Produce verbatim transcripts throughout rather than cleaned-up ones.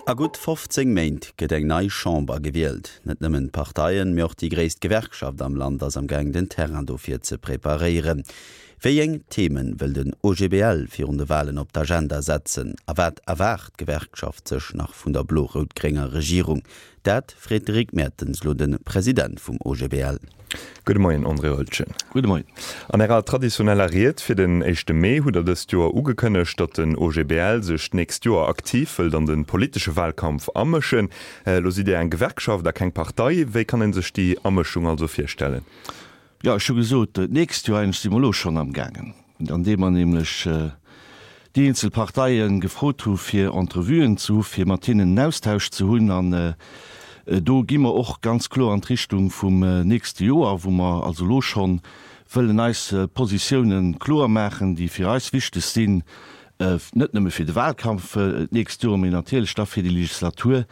A gutt fofzéng Méint gëtt eng nei Chamber gewielt. Net nëmmen d'Parteien, mee och déi gréisst Gewerkschaft am Land ass am Gaang den Terrain dofir ze preparéieren. Wéi eng Themen wëll den O G B L virun de Walen op d'Agenda setzen? A wat erwaart d'Gewerkschaft sech nach vun der blo-rout-grénger Regierung? Dat freet de Rick Mertens lo de President vum O G B L. Gudde Moien, André Höltgen. Gudde Moien. An Ärer traditioneller Ried fir den éischte Mee hutt Der dëst Joer ugekënnegt, datt den O G B L sech d'nächst Joer aktiv wëllt an de politesche Walkampf amëschen. Lo sidd Dir eng Gewerkschaft a keng Partei. Wéi kann een sech déi Amëschung also virstellen? Ja, ech hu gesot, d'nächst Joer, eigentlech si mer elo schonn am gaangen, andeem mer nämlech déi eenzel Parteie gefrot hu fir Entrevuen ze hu fir mat hinnen en Austausch ze hunn. An do gi mer och ganz kloer an d'Richtung vum nächste Joer, wou mer also elo schonn wëllen eis Positiounen kloer maachen, déi fir eis wichteg sinn, net nëmme fir de Wahlkampf d'nächst Joer, mee natierlech da fir déi Legislatur,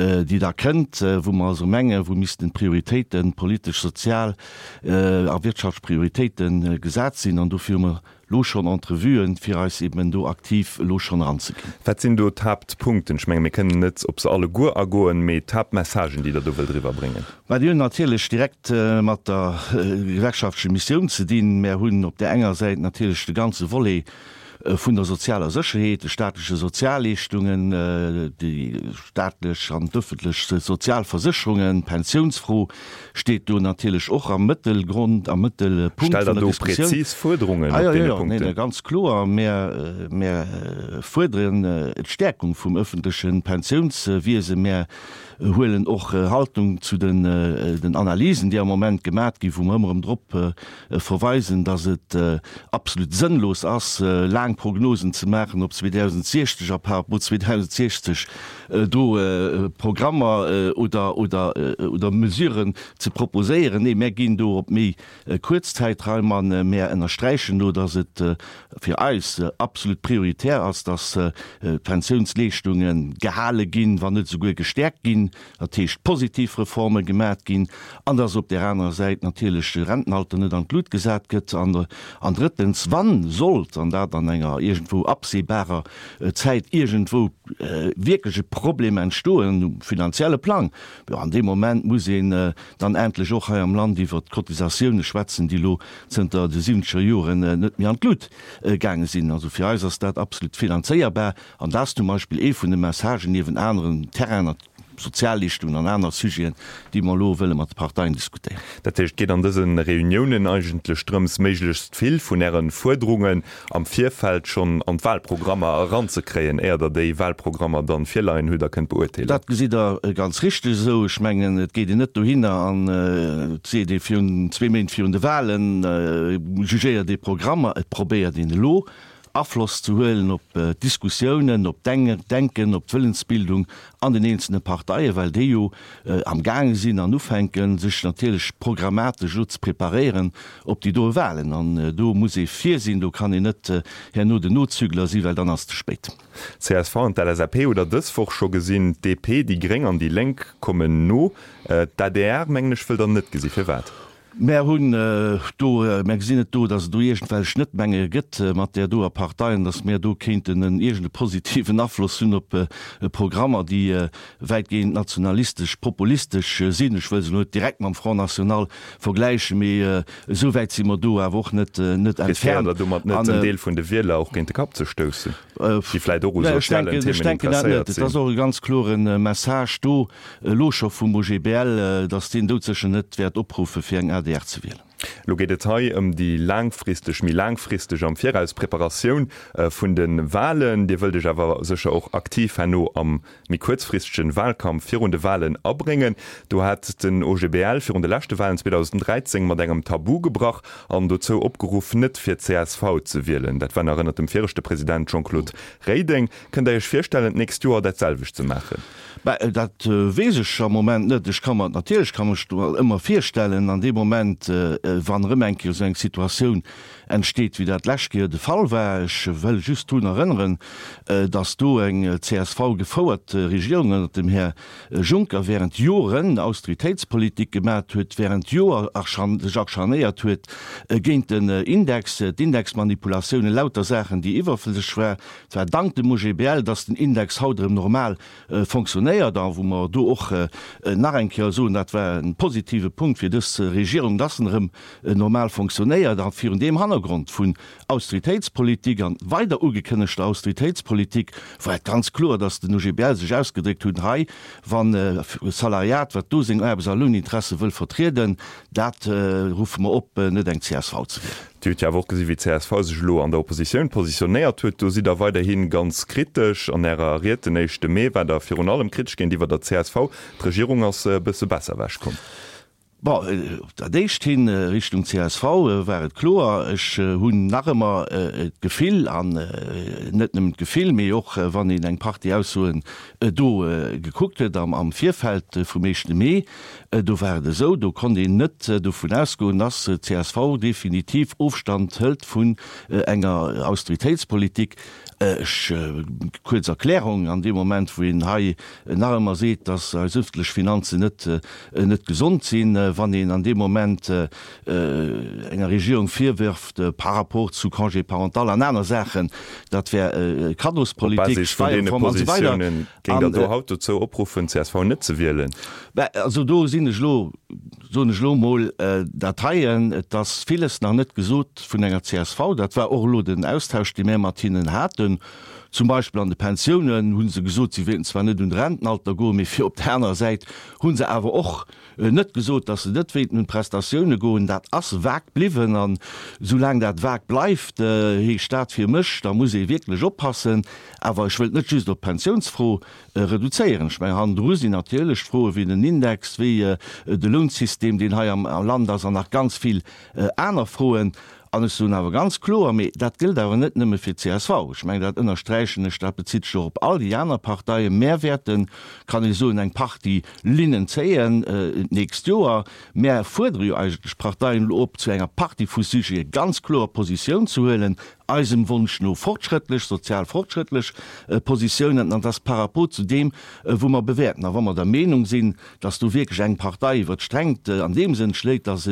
déi da kënnt, wou mer also mengen, wou missten d'Prioritéiten, politesch, sozial a wirtschaftlech Prioritéiten gesat sinn. An dofir hu mer elo schonn Entrevuen, fir eis eben do aktiv elo schonn eranzeginn. Wat sinn do d'Haaptpunkten? Ech menge mir kënnen net op se alleguer agoen, mee d'Haaptmessagen, déi Der do wëllt eriwwerbréngen. Mä déi hunn natierlech direkt mat der gewerkschaftlecher Missioun ze dinn. Mär hunn op där enger Säit natierlech de ganze Volet vun der sozialer Sécherheet, de staatleche Sozialleeschtungen, déi staatlech an d'ëffentlech Sozialversécherungen, d'Pensiounsfro steet do natierlech och am Mëttelgrond, am Mëttelpunkt Stellt vun Der der do Diskussioun. präzis Fuerderungen Ah op jo, jo, deene jo, nee, Punkten? ganz kloer. Mär, mär fuerderen d'Stäerkung vum ëffentleche Pensiounswiesen. Mär huelen och Haltung zu den, den Analysen, déi am Moment gemat ginn, wou mer ëmmer erëm drop verweisen, dass et absolut sënnlos ass, laang Prognosen ze maachen op zweedausendsechzeg a par rapport zweedausendsechzeg do Programmer oder, oder, oder Mesuren ze proposéieren. Nee, mär ginn do op méi kuerz Zäitraim an mär ënnersträichen do, dass et fir eis absolut prioritär ass, dass d'Pensiounsleeschtungen gehale ginn, wann net souguer gestäerkt ginn, dat heescht positiv Reforme gemat ginn, an dass op där anerer Säit natierlech de Rentenalter net an d'Lut gesat gëtt. An, an drëttens, wann sollt, an dat an enger iergendwou absehbarer Zäit iergendwou wierklech e Problem entstoen um finanzielle Plang, jo, an deem Moment muss een dann endlech och hei am Land iwwert d'Cotisatioune schwätzen, déi elo zënter de siwwenzeger Joren net méi an d'Lut gaange sinn. Also fir eis ass dat absolut finanzéierbar an dat ass zum Beispill ee vun de Messagen niewent aneren Terrainen, Sozialleeschtungen an aner Sujeten, déi mer elo wëlle mat de Parteien diskutéieren. Dat heescht, et geet an dëse Reuniounen eigentlech drëms, méiglechst vill vun Äre Fuerderungen am Virfeld schonn an d'Wahlprogrammer eranzekréien, éier Der déi Wahlprogrammer dann virleien hutt a kënnt beurteelen. Dat gesitt Der ganz richteg esou. Ech mengen, et geet een net dohinner an et seet ee virun zwee Méint virun de Wahlen, jugéiert ee Programmer. Et probéiert een elo Afloss ze huelen op d'Diskussiounen, op d'Denken, op d'Wëllensbildung an den eenzelne Parteien, well déi jo am gaange sinn an ufänken, sech natierlech programmatesch elo ze preparéieren op déi doe Wahlen. An do muss ee vir sinn, do kann een net herno den Nozügler sinn, well dann ass et ze spéit. D C S V an d'L S A P hutt Der dës Woch scho gesinn, d'D P, déi Gréng an déi Lénk kommen no. D'A D R, mengen ech, wëllt Der net gesi. Firwat? Mär hunn do, mär gesinn et do, datt et do iergendwelch Schnëttmenge gëtt mat där doer Partei an datt mär do kéinten en iergende positiven Afloss hunn op Programmer, déi wäitgehend nationalistesch, populistesch sinn. Ech wëll se elo net direkt mam Front National vergläichen, mee esou wäit si mer do awer och net, net Riskéiert entfernt. Der domat net, en Deel vun de Wieler och géint de Kapp ze stoussen, déi vläicht och u Ech sozialen denken, ech Themen denken dat net. interesséiert Et ass sinn? och e ganz klore Message do elo scho vum O G B L, datt deen doudsécher net wäert opruffe fir eng A D R ze wielen. Lo geet et hei ëm déi laangfristeg, méi laangfristeg am Viraus Preparatioun vun de Wahlen. Dir wëllt Iech awer sécher och aktiv herno am méi kuerzfristegen Wahlkampf virun de Wahlen abréngen. Do hat den O G B L virun de leschte Wahlen zweedausenddräizéng mat engem Tabu gebrach an dozou opgeruff, net fir C S V ze wielen. Dat war nach ënnert dem viregte President Jean-Claude Reding. Kënnt Der Iech virstellen, d'nächst Joer dat selwecht ze maachen? Bah, dat weess ech am Moment net. Ech ka mer, natierlech ka mech do ëmmer virstellen, an deem Moment, wann erëm eng Kéier esou eng Situatioun entsteet, wéi dat d'lescht Kéier de Fall war. Ech wëll just drun erënneren, dass do eng C S V gefouert Regierung ënnert dem Här Juncker während Joren Austeritéitspolitik gemat huet, während Joer sech acharnéiert huet géint den Index, d'Indexmanipulatiounen, lauter Saachen, déi iwwerflësseg war. Et war dank dem O G B L, dass den Index haut erëm normal fonctionnéiert a wou mer do och nach eng Kéier soen, dat war e positive Punkt fir dës Regierung, dass en erëm normal fonctionnéiert. A virun deem Hannergrond vun Austeritéitspolitik an weider ugekënnegter Austeritéitspolitik war et ganz kloer, dass den O G B L sech ausgedréckt hunn hei, wann Salariat, wat do seng Aarbechts a Louninteresse wëll vertrieden, dat ruffe mer op, net eng C S V ze wielen. Dir hutt jo awer och gesi wéi d'C S V sech elo an der Oppositioun positionéiert huet. Do sidd Der weiderhi ganz kritesch. An Ärer Ried den éischte Mee waart Der virun allem kritesch géintiwwer der C S V. D'Regierung ass e bësse besser ewechkomm. Bon, op dat éischt hin, Richtung C S V, war et kloer. Ech hunn nach ëmmer d'Gefill, an net nëmmen d'Gefill, mee och wann een eng Partie Aussoen do gekuckt huet am Virfeld vum éischte Mee, do war et esou, do konnt een net dovun ausgoen, dass d'C S V definitiv Ofstand hëlt vun enger Austeritéitspolitik. Ech, kuerz Erklärung, an deem Moment wou een hei nach ëmmer seet, dass eis ëffentlech Finanzen net net gesond sinn, wann een an deem Moment enger Regierung virwërft par rapport zu Congé parental an aner Saachen, dat wär Op Kaddospolitik, Basis vun deene Steierreform an esou weider. Positiounen géingt Der do haut dozou opruffen, C S V net ze wielen? Bah, also do sinn ech elo, soen ech elo emol, dat heien, et ass villes nach net gesot vun enger C S V. Dat war och elo den Austausch, dee mär mat hinnen haten. Zum Beispill an de Pensiounen hu se gesot, si wéilten zwar net un de Rentenalter goen, mee fir op där anerer Säit hu se awer och net gesot, datt se net wéilten un d'Prestatioune goen. Dat ass vag bliwwen. An soulaang dat vag bleift, heescht dat fir mech, da muss ee wierklech oppassen. Awer ech wëllt net just op d'Pensiounsfro reduzéieren. Ech mengen, hannendru sinn natierlech Froe wéi den Index, wéi de Lounsystem, deen hei am Land ass, an nach ganz vill aner Froen. An ech soen awer ganz kloer, mee dat gëllt awer net nëmme fir d'C S V, ech mengen, dat ënnersträichen ech, dat bezitt sech och op all déi aner Parteien, Mär wäerten, kann ee soen, eng Partie Linnen zéien d'nächst Joer. Mär fuerdere jo eigentlech d'Parteien elo op, zu enger Partie vu Sujete ganz kloer Positioun ze huelen, eisem Wonsch no fortschrëttlech, sozial fortschrëttlech Positiounen, an dass par rapport zu deem, wou mer bewäerten. A wa mer der Meenung sinn, dass do wierklech eng Partei iwwert d'Strengt an deem Sënn schléit, dass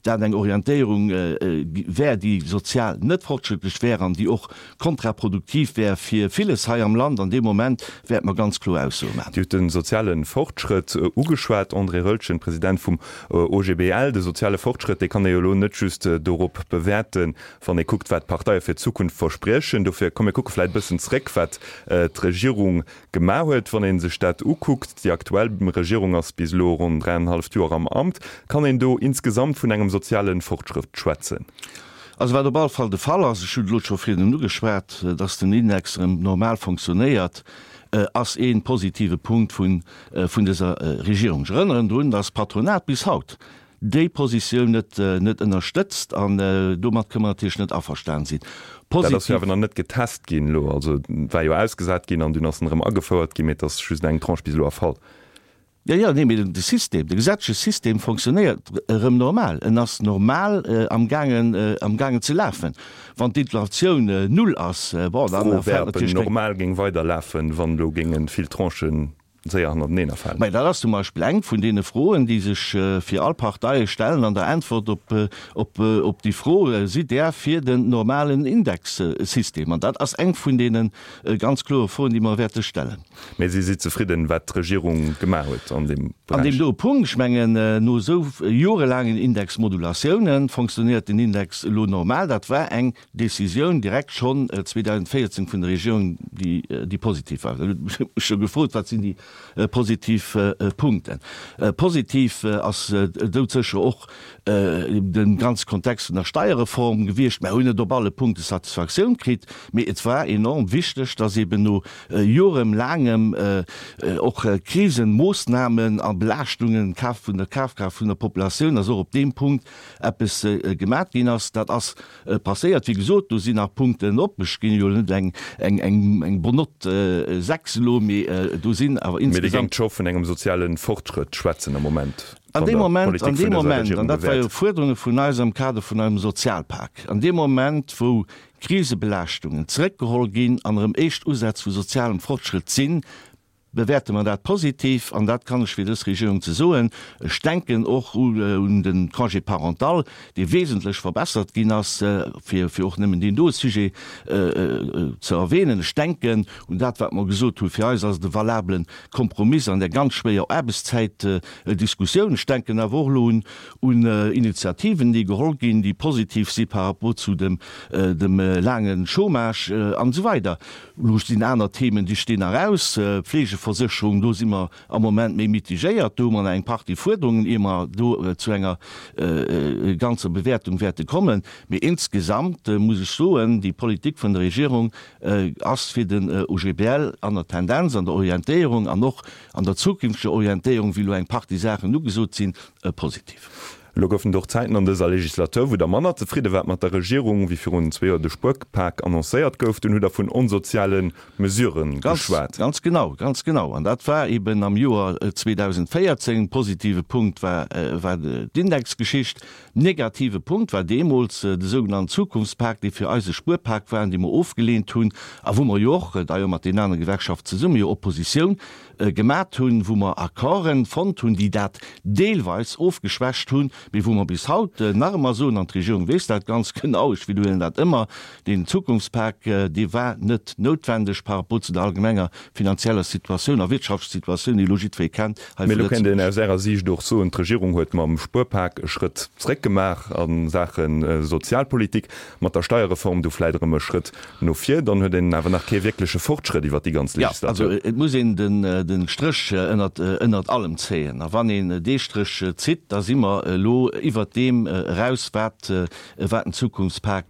dat eng Orientéierung wär, déi sozial net fortschrëttlech wär an déi och kontraproduktiv wär fir villes hei am Land, an deem Moment wäerte mer ganz kloer Aussoe maachen. Dir hutt de soziale Fortschrëtt ugeschwat, André Roeltgen, President vum O G B L. De soziale Fortschrëtt, dee kann ee jo elo net just dorop bewäerten, wann ee kuckt, wat d'Parteie fir d'Zukunft verspriechen. Dofir, komm mir kucke vläicht e bëssen zréck, wat d'Regierung gemaach huet. Wann ee sech dat ukuckt, déi aktuell Regierung ass bis elo ronn dräienhalleft Joer am Amt, kann een do insgesamt vun engem soziale Fortschrëtt schwätzen? Also wat op alle Fall de Fall ass, ech hunn et elo scho virdrun ugeschwat, dass den Index erëm normal fonctionnéiert, ass ee positive Punkt vun dëser Regierung. Ech erënneren drun, dass d'Patronat bis haut déi Positioun net net ënnerstëtzt an domat kënne mer natierlech net averstan sinn. Dat ass jo awer nach net getest ginn elo. Also war jo ausgesat ginn an dunn ass en erëm agefouert ginn, mee et ass just eng Tranche bis elo erfall. Jo, jo, nee, mee de System, de gesetzleche System fonctionnéiert erëm normal. En ass normal amgaangen, amgaangen ze lafen. Wann d'Inflatioun null ass, bon, dann D'Fro wär, ob en normal géing weiderlafen, wann elo géinge vill Tranchen séier hannerteneen erfalen. Mä dat ass zum Beispill eng vun deene Froen, déi sech fir all Parteie stellen an der Äntwert op, op, op déi Fro, Sidd Der fir den normalen Indexsystem? An dat ass eng vun deene ganz klore Froen, déi mer wäerte stellen. Mä si si zefridden, wat d'Regierung gemaach huet an deem An deem Beräich? doe Punkt, ech mengen, no esou jorelaangen Indexmodulatiounen fonctionnéiert den Index elo normal. Dat war eng Décisioun direkt schonn zweedausendvéierzéng vun der Regierung, déi, déi positiv war. Ech hu mech jo gefrot, Wat sinn déi positiv Punkten? Positiv ass doudsécher och de ganze Kontext vun der Steierreform gewiescht. Mer hunn net op alle Punkte Satisfaktioun kritt, mee et war enorm wichteg, dass eben no jorelaangem och Krisenmoossnamen a Belaaschtungen vun der Kafkraaft vun der Populatioun, dass och op deem Punkt eppes gemat ginn ass. Dat ass passéiert. Wéi gesot, do sinn nach Punkten op. Ech ginn jo net eng bonne note sechs elo, mee do sinn awer Mee Dir géingt scho vun engem soziale Fortschrëtt schwätzen am Moment, An wann deem Der Moment, d'Politik an vun deem dëser Moment, Regierung an dat war jo bewäert. Fuerderunge vun eis am Kader vun eisem Sozialpak, an deem Moment, wou Krisebelaaschtungen zeréckgeholl ginn an erëm éischt Usätz vu sozialem Fortschrëtt sinn, bewäerte mer dat positiv, an dat kann ech fir dës Regierung ze soen. Ech denken och un de Congé parental, dee wesentlech verbessert ginn ass, fir fir och nëmmen deen do Sujet ze erwähnen. Ech denken un dat, wat mer gesot hunn, fir eis ass et e valabele Kompromiss an där ganz schwéier Aarbechtszäitdiskussioun. Ech denken awer och elo un un Initiativen, déi geholl ginn, déi positiv si par rapport zu dem dem laange Chômage an esou weider. Elo sinn aner Themen, déi stinn nach aus, Fleegeversécherung, do si mer am Moment méi mitigéiert, do hu mer nach eng Partie Fuerderungen, ier mer do zu enger ganzer Bewäertung wäerte kommen. Mee insgesamt muss ech soen, déi Politik vun der Regierung ass fir den O G B L an der Tendenz, an der Orientéierung an och an der zukünfteger Orientéierung, wéi elo eng Partie Saachen ugesot sinn, positiv. Elo goufen et och Zäiten an dëser Legislatur, wou Der manner zefridde waart mat der Regierung, wéi virun zwee Joer de Spuerpak annoncéiert gouf. Dunn hutt Der vun onsoziale Mesurë geschwat. Ganz genau, ganz genau. An dat war eben am Joer zweedausendvéierzéng. Positive Punkt war d'Indexgeschicht. Negative Punkt war deemools de sougenannten Zukunftspak, dee fir eis e Spuerpak war an dee mer ofgeleent hunn a wou mer jo och, d'ailleurs mat deenen anere Gewerkschaften zesumme, jo Oppositioun gemat hunn, wou mer Accorden fonnt hunn, déi dat deelweis ofgeschwächt hunn, mee wou mer bis haut nach ëmmer soen, an d'Regierung weess dat ganz genau, ech widderhuelen dat ëmmer, deen Zukunftspak, dee war net noutwendeg par rapport zu der allgemenger finanzieller Situatioun a wirtschaftlecher Situatioun, déi elo jiddweree kennt hei Mee vu elo kéint een Lëtzebuerg. aus Ärer Siicht och soen, d'Regierung huet mam Spuerpak e Schrëtt zréck gemaach a Saache Sozialpolitik, mat der Steierreform du vläit erëm e Schrëtt no vir, dann huet een awer nach kee wierkleche Fortschrëtt iwwert déi ganz Jo, also Legislatur. et muss een de Stréch ënnert allem zéien. A wann een dee Stréch zitt, da si mer elo iwwert deem eraus, wat den Zukunftspak,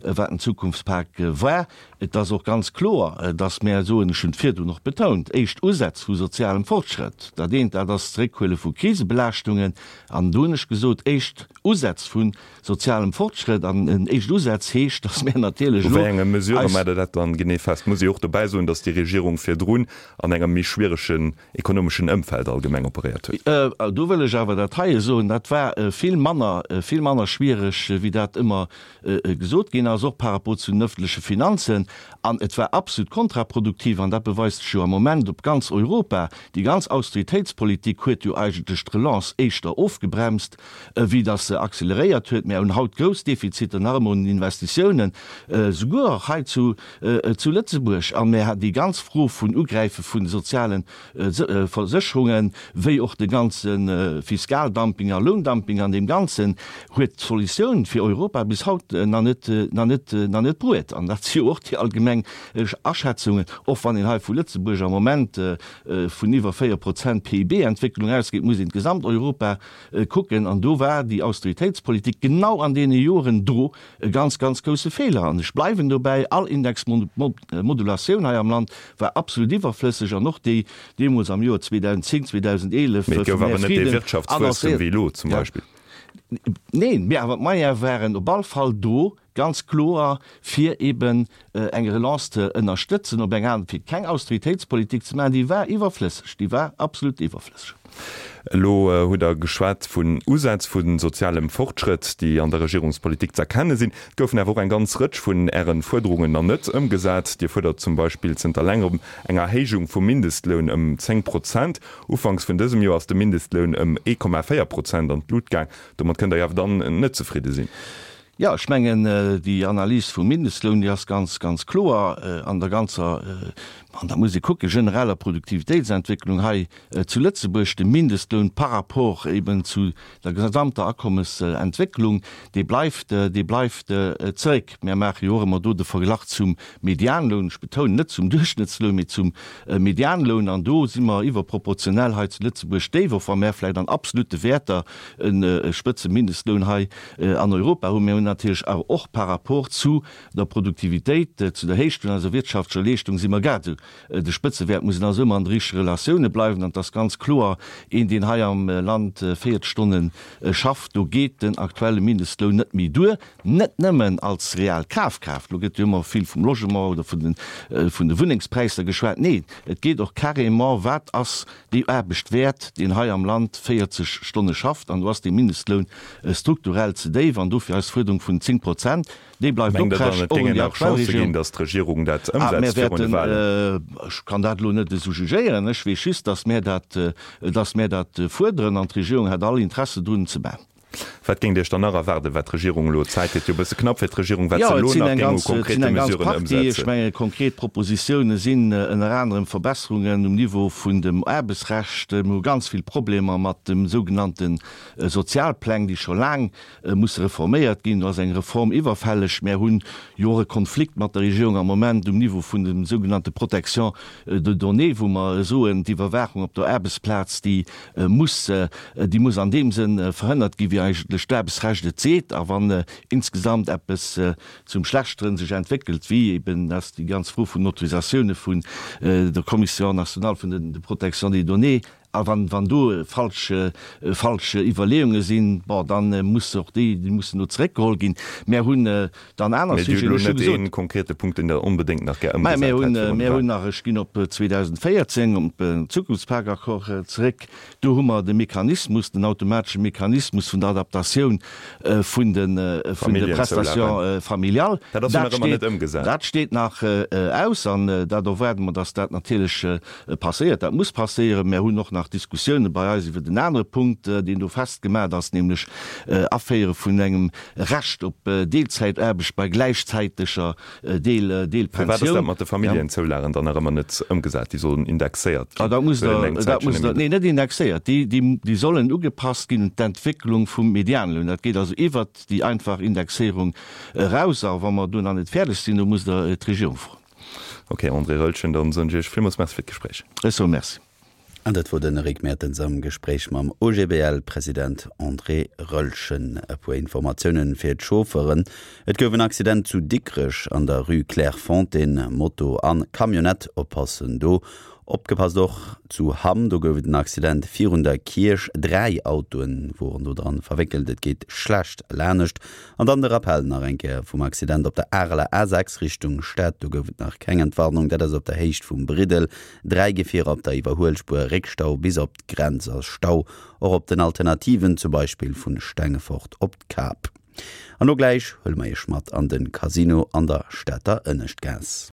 wat den Zukunftspak war. Et ass och ganz kloer, datt mär soen, ech hunn et virdrun och betount, éischt Usätz vu sozialem Fortschrëtt, dat eent, dat ass d'Zeréckhuele vu Krisebelaaschtungen, an do hunn ech gesot, éischt Usätz vu sozialem Fortschrëtt an en éischt Usätz heescht, datt mär natierlech U elo wéi enge Mesurë eis. maacht Der dat dann genee fest? Muss ee och dobäi soen, datt déi Regierung virdrun an engem méi schwieregen ekonomeschen Ëmfeld allgemeng operéiert huet. Do wëll ech awer dat heie soen, dat war vill manner, vill manner schwiereg, wéi dat ëmmer gesot ginn ass, och par rapport zu den öffentleche Finanzen. An et war absolut kontraproduktiv, an dat beweist sech jo am Moment op ganz Europa, déi ganz Austeritéitspolitik huet jo eigentlech d'Relance éischter ofgebremst, wéi datt se acceleréiert huet. Mir hunn haut grouss Defiziter nach ëmmer un den Investitiounen, souguer och hei zu Lëtzebuerg. A mir déi ganz Fro vun Ugräife vun de soziale Versécherungen, wéi och de ganze Fiskaldumping a Loundumping an deem Ganzen, huet d'Solutioun fir Europa bis haut nach net, nach net, nach net bruet. An dat si jo och déi allgemeng Aschätzungen, och wann een hei vu Lëtzebuerg am Moment vun iwwer véier Prozent P I B-Entwécklung ausgeet, muss een d'Gesamteuropa kucken. An do war déi Austeritéitspolitik genau an deene Joren do e ganz, ganz grousse Feeler. An ech bleiwen dobäi, all Indexmodulatioun hei am Land war absolut iwwerflësseg an och déi deemools am Joer zweedausendzéng, zweedausendeelef Mee et gouf vum Här awer net dee Frieden Wirtschaftswuesstem annoncéiert. wéi elo zum Beispill. Neen, mee awer d'Moyene waren op all Fall do, ganz kloer, fir eben eng Relance ze ënnerstëtzen op eng aner, fir keng Austeritéitspolitik ze maachen, déi war iwwerflësseg, déi war absolut iwwerflësseg. Elo hutt Der geschwat vun Usätz vu sozialem Fortschrëtt, déi an der Regierungspolitik z'erkenne sinn. Et goufen awer och eng ganz Rëtsch vun Äre Fuerderungen nach net ëmgesat. Dir fuerdert zum Beispill zënter längerem eng Erhéijung vum Mindestloun ëm zéng Prozent. Ufanks vun dësem Joer ass de Mindestloun ëm ee Komma véier Prozent an d'Lut gaang. Domat kënnt Der jo awer dann net zefridde sinn. Jo, ech mengen, déi Analys vum Mindestloun, déi ass ganz, ganz kloer an der ganzer, an da muss ee kucken, genereller Produktivitéitsentwécklung hei zu Lëtzebuerg. De Mindestloun par rapport eben zu der gesamter Akommesentwécklung, dee bleift, dee bleift zeréck. Mir maache jo och ëmmer do de Verglach zum Medianloun, ech betounen, net zum Duerchschnëttsloun, mee zum Medianloun, an do si mer iwwerproportionell hei zu Lëtzebuerg déif, och wa mär vläicht an absolute Wäerter e Spëtzemindestloun hei an Europa hunn. Mir hunn natierlech awer och par rapport zu der Produktivitéit, zu der Héicht vun eiser wirtschaftlecher Leeschtung si mer grad esou de Spëtzewäert, mussen also ëmmer an de richtege Relatioune bleiwen. An et ass ganz kloer, een deen hei am Land véierzeg Stonne schafft, do geet den aktuelle Mindestloun net méi duer, net nëmmen als real Kafkraaft, elo gëtt jo ëmmer vill vum Logement oder vun de vun de Wunnengspräisser geschwat, neen, et geet och carrément, wat ass déi Aarbecht wäert, deen hei am Land véierzeg Stonne schafft, an do ass dee Mindestloun strukturell ze déif an dofir eis Fuerderung vun zéng Prozent, déi bleift Mengt Der dann, oprecht, et och un géingen déi nach aktuell Chancë ginn, Regierung. datt d'Regierung dat Ah, mir ëmsetzt virun de wäerten, Wahlen? ech kann dat elo net esou jugéieren, ech weess just, datt mär dat, datt mär dat fuerderen an d'Regierung hätt all Interesse drun, et ze maachen. Wat géingt Dir Iech dann nach erwaarden, wat d'Regierung elo, d'Zäit gëtt jo e bësse knapp fir d'Regierung, wat Jo, se et elo sinn nach eng géing u ganz, et sinn konkrete eng ganz Mesuren Partie. Ech ëmsetzen? menge konkret Propositioune sinn ënner anerem Verbesserungen um Niveau vun dem Aarbechtsrecht. Mir hu ganz vill Problemer mat dem sougenannte Sozialpläng, déi scho laang musse reforméiert ginn. Do ass eng Reform iwwerfälleg. Mär hunn jo och e Konflikt mat der Regierung am Moment um Niveau vun dem sougenannte Protection de données, wou mer soen, d'Iwwerwaachung op der Aarbechtsplaz, déi muss, déi muss an deem Sënn verhënnert ginn, wéi eigentlech d'Aarbechtsrecht et seet. A wann insgesamt eppes zum Schlechteren sech entwéckelt, wéi eben ass déi ganz Fro vun den Autorisatioune vun der Commission nationale vun de protection des données, a wann, wann do falsch, falsch Iwwerleeunge sinn, bon, da muss och déi, déi mussen do zeréckgeholl ginn. Mär hunn dann aner Mee Dir hutt Sujeten, elo ech hu net gesot. ee konkrete Punkt, deen Der onbedéngt nach gär Mä ëmgesat mir hätt hunn, virun de mir hunn Wahlen. nach, ech ginn op zweedausendvéierzéng, op den Zukunftspakt-Accord zeréck, do hu mer de Mechanismus, den automatesche Mechanismus vun der Adaptatioun vun de, vun de Familljenzoulagen. Prestations familiales. Dat ass jo Dat nach ëmmer steet, net ëmgesat. dat steet nach aus an dat erwaarde mer, dass dat natierlech passéiert. Dat muss passéieren. Mir hunn och nach Diskussioune bei eis iwwert en anere Punkt, deen do festgemat ass, nämlech Aféiere vun engem Recht op Deelzäitaarbecht bei gläichzäiteger Firwat ass dat Deelpensioun. mat de Familljenzoulagen dann nach ëmmer net ëmgesat? Déi sollen indexéiert Ah, ginn, dat musst huet een Der, eng dat Zäitchen musst Der, nëmme. nee, net indexéiert, déi, déi, déi sollen ugepasst ginn un d'Entwécklung vum Medianloun. Dat geet also iwwert déi einfach Indexéierung eraus. A wa mer do nach net fäerdeg sinn, do musst Der d'Regierung froen. Ok, André Roeltgen, dann soen ech Iech villmools Merci fir d'Gespréich. Ech soe Merci. An dat wor den Eric Mertens am Gespréich mam O G B L-President André Roeltgen. E puer Informatiounen fir d'Chauffeuren. Et gouf en Accident zu Dikrech an der Rue Clairefontaine, Moto an Camionnette, oppassen do. Opgepasst och zu Hamm, do gouf et en Accident virun der Kierch, dräi Autoen woren do dran verwéckelt, et geet schlecht lanescht. An dann de Rappell nach eng Kéier vum Accident op der Areler A sechs Richtung Stad, do gouf et nach keng Entwarnung, dat ass op der Héicht vum Briddel, dräi Gefierer op der Iwwerhuelspuer, Réckstau bis op d'Grenz a Stau och op den Alternativen, zum Beispill vun Stengefort op d'Kap. An lo gläich huele mer iech mat an de Casino an der Stater Ënneschtgaass.